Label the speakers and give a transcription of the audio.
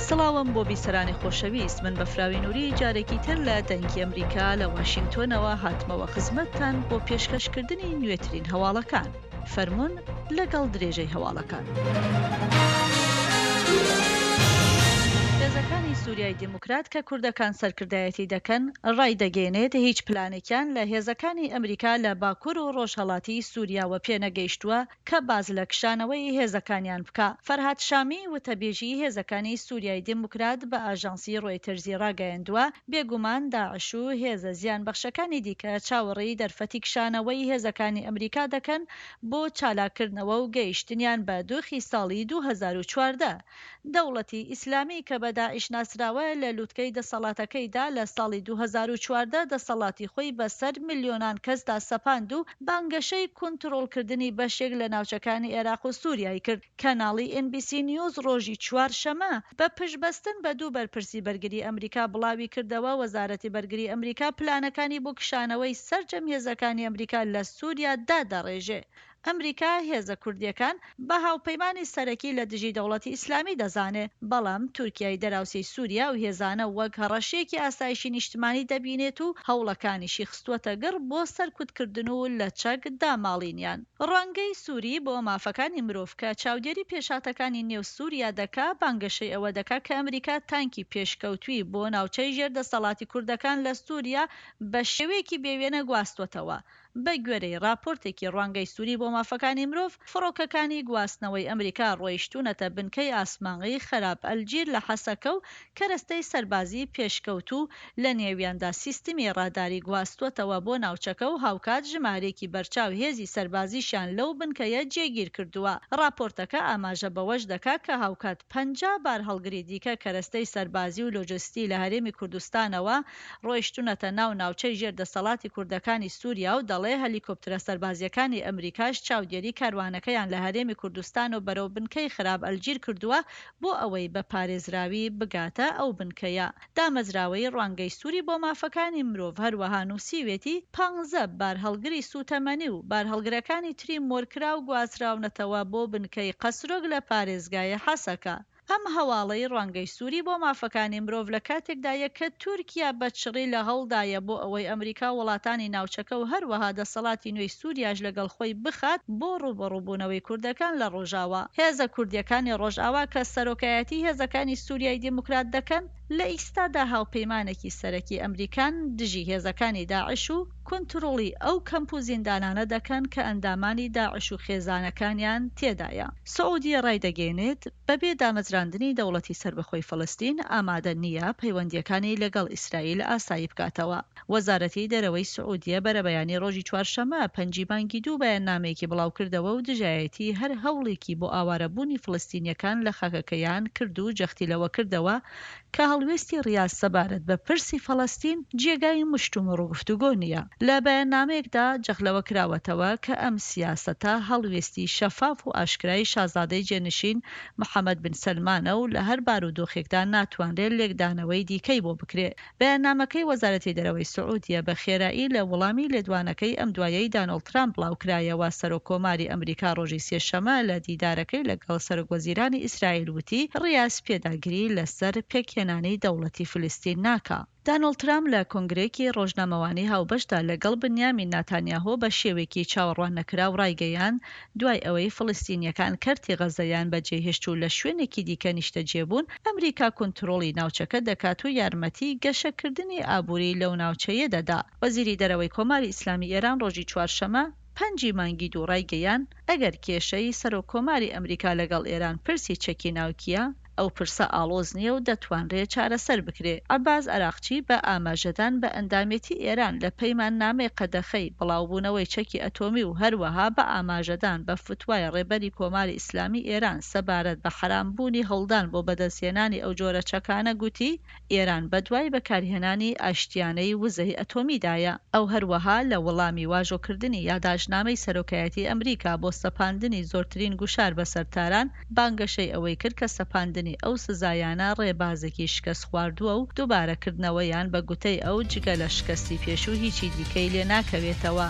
Speaker 1: سڵاوم بۆ بیسەرانی خۆشەویست، من بەفراوی نوری جارێکی تر لە دەنگی ئەمریکا لە واشینگتۆنەوە هاتمەوە خزمەتتان بۆ پێشکەشکردنی نوێترین هەواڵەکان. فەرموون لەگەڵ درێژەی هەواڵەکان. هێزەکانی سوریای دیموکرات کە کوردەکان سەرکردایەتی دەکەن ڕایدەگەیەنێت هیچ پلانێکیان لە هێزەکانی ئەمریکا لە باکور و ڕۆژهەڵاتی سوریاوە پێنەگەیشتووە کە باس لە کشانەوەی هێزەکانیان بکا. فەرهاد شامی، وتەبێژی هێزەکانی سوریای دیموکرات بە ئاژانسی ڕۆیتەرزی ڕاگەیاندووە، بێگومان داعش و هێزە زیانبەخشەکانی دیکە چاوەڕێی دەرفەتی کشانەوەی هێزەکانی ئەمریکا دەکەن بۆ چالاککردنەوە و گەیشتنیان بە دۆخی ساڵی 2014. دەوڵەتی ئیسلامی کە بە داعش ناسراوە لە لوتکەی دەسەڵاتەکەیدا لە ساڵی 2014 دەسەڵاتی خۆی بەسەر ملیۆنان کەسدا سەپاند و بانگەشەی کونتڕۆڵکردنی بەشێک لە ناوچەکانی عێراق و سوریای کرد. کەناڵی ئێن بی سی نیوز ڕۆژی چوارشەمە بە پشتبەستن بە دوو بەرپرسی بەرگری ئەمریکا بڵاویکردەوە، وەزارەتی بەرگری ئەمریکا پلانەکانی بۆ کشانەوەی سەرجەم هێزەکانی ئەمریکا لە سوریا دادەڕێژێ. ئەمریکا هێزە کوردییەکان بە هاوپەیمانی سەرەکی لە دژی دەوڵەتی ئیسلامی دەزانێ، بەڵام تورکیای دەراوسێی سوریا ئەو هێزانە وەک هەڕەشەیەکی ئاسایشی نیشتمانی دەبینێت و هەوڵەکانیشی خستووەتە گڕ بۆ سەرکوتکردن و لە چەک داماڵینیان. ڕوانگەی سوری بۆ مافەکانی مرۆڤ کە چاودێری پێشهاتەکانی نێو سوریا دەکا، بانگەشەی ئەوە دەکا کە ئەمریکا تانکی پێشکەوتووی بۆ ناوچەی ژێر دەسەڵاتی کوردەکان لە سوریا بە شێوەیەکی بێوێنە گواستووەتەوە. بە گوێرەی ڕاپۆرتێکی ڕوانگەی سوری بۆ مافەکانی مرۆڤ، فڕۆکەکانی گواستنەوەی ئەمریکا ڕۆیشتوونەتە بنکەی ئاسمانیی خەراب ئەلجیر لە حەسەکە و کەرەستەی سەربازی پێشکەوتوو لە نێویاندا سیستمی ڕاداری گواستووەتەوە بۆ ناوچەکە و هاوکات ژمارەیەکی بەرچاو هێزی سەربازیشیان لەو بنکەیە جێگیر کردووە. ڕاپۆرتەکە ئاماژە بەوەش دەکا کە هاوکات 50 بارهەڵگری دیکە کەرەستەی سەربازی و لۆجستی لە هەرێمی کوردستانەوە ڕۆیشتونەتە ناو ناوچەی ژێر دەسەڵاتی کوردەکانی سوریا و دەڵێ هەلیکۆپترە سەربازییەکانی ئەمریکاش چاودێری کاروانەکەیان لە هەرێمی کوردستان و بەرەو بنکەی خراب ئەلجیر کردووە بۆ ئەوەی بە پارێزراوی بگاتە ئەو بنکەیە. دامەزراوەی ڕوانگەی سوری بۆ مافەکانی مرۆڤ هەروەها نووسیوێتی، پانزە بارهەڵگری سووتەمەنی و بارهەڵگرەکانی تری مۆرکراو گوازراونەتەوە بۆ بنکەی قەسرۆک لە پارێزگای حەسەکە. ئەم هەواڵەی ڕوانگەی سوری بۆ مافەکانی مرۆڤ لە کاتێکدایە کە تورکیا بە چڕی لە هەوڵدایە بۆ ئەوەی ئەمریکا و وڵاتانی ناوچەکە و هەروەها دەسەڵاتی نوێی سوریاش لەگەڵ خۆی بخات بۆ ڕووبەڕووبوونەوەی کوردەکان لە ڕۆژاوا. هێزە کوردییەکانی ڕۆژئاوا کە سەرۆکایەتی هێزەکانی سوریای دیموکرات دەکەن، لە ئیستادا هاوپەیمانێکی سەرەکی ئەمریکان دژی هێزەکانی داعش و کونتڕوڵی ئەو کەمپ و زیندانانە دەکەن کە ئەندامانی داعش و خێزانەکانیان تێدایە. سعودیە ڕایدەگەیەنێت، بەبێ دامەزراندنی دەوڵەتی سەربەخۆی فەڵەستین ئامادە نییە پەیوەندییەکانی لەگەڵ ئیسرائیل ئاسایی بکاتەوە. وەزارەتی دەرەوەی سعودیە بەرەبەیانی ڕۆژی چوارشەممە پەنجی مانگی دوو بەیاننامەیەکی بڵاوکردەوە و دژایەتی هەر هەوڵێکی بۆ ئاوارەبوونی فڵستینییەکان لە خاکەکەیان کرد و جەختی لەوە کردەوە کە هەڵوێستی ڕیاز سەبارەت بە پرسی فەڵەستین جێگای مشتومڕ و گفتوگۆ نییە. لە بەیاننامەیەکدا جەخت لەوە کراوەتەوە کە ئەم سیاسەتە هەڵوێستی شەفاف و ئاشکرای شازادەی جێنشین محەمەد بن سەلمانە و لە هەر بارودۆخێکدا ناتوانرێت لێکدانەوەی دیکەی بۆ بکرێ. بەیاننامەکەی وەزارەتی دەرەوەی سعودیە بە خێرایی لە وڵامی لێدوانەکەی ئەم دوایەی دانۆڵد ترامپ بڵاوکرایەوە، سەرۆک کۆماری ئەمریکا ڕۆژی سێشەمە لە دیدارەکەی لەگەڵ سەرۆک وەزیرانی ئیسرائیل وتی، ڕیاز پێداگری لەسەر پێکهێنانی دەوڵەتی فلستین ناکا. دانۆڵد ترامپ لە کۆنگرەیەکی ڕۆژنامەوانی هاوبەشدا لەگەڵ بنیامین ناتانیاهۆ بە شێوەیەکی چاوەڕواننەکراو ڕایگەیاند، دوای ئەوەی فڵیستینییەکان کەرتی غەززەیان بەجێهێشت و لە شوێنێکی دیکە نیشتەجێ بوون، ئەمریکا کونترۆڵی ناوچەکە دەکات و یارمەتیی گەشەکردنی ئابووری لەو ناوچەیە دەدا. وەزیری دەرەوەی کۆماری ئیسلامی ئێران ڕۆژی چوارشەممە، پەنجی مانگی دوو ڕایگەیاند، ئەگەر کێشەی سەرۆک کۆماری ئەمریکا لەگەڵ ئێران پرسی چەکی ناوکییە، ئەو پرسە ئاڵۆز نییە و دەتوانرێ چارەسەر بکرێ. عەباس عەراقچی بە ئاماژەدان بە ئەندامێتی ئێران لە پەیماننامەی قەدەخەی بڵاوبوونەوەی چەکی ئەتۆمی و هەروەها بە ئاماژەدان بە فتوای ڕێبەری کۆماری ئیسلامی ئێران سەبارەت بە حەرام بوونی هەوڵدان بۆ بەدەستهێنانی ئەو جۆرە چەکانە گوتی، ئێران بەدوای بەکارهێنانی ئاشتیانەی وزەی ئەتۆمیدایە. ئەو هەروەها لە وەڵامی واژۆکردنی یاداشتنامەی سەرۆکایەتی ئەمریکا بۆ سەپاندنی زۆرترین گوشار بەسەر تاران، بانگەشەی ئەوەی کرد کە سەپاندنی ئەو سزایانە ڕێبازێکی شکەستخواردووە و دووبارەکردنەوەیان بە گوتەی ئەو جگە لە شکەستی پێشوو هیچی دیکەی لێ ناکەوێتەوە.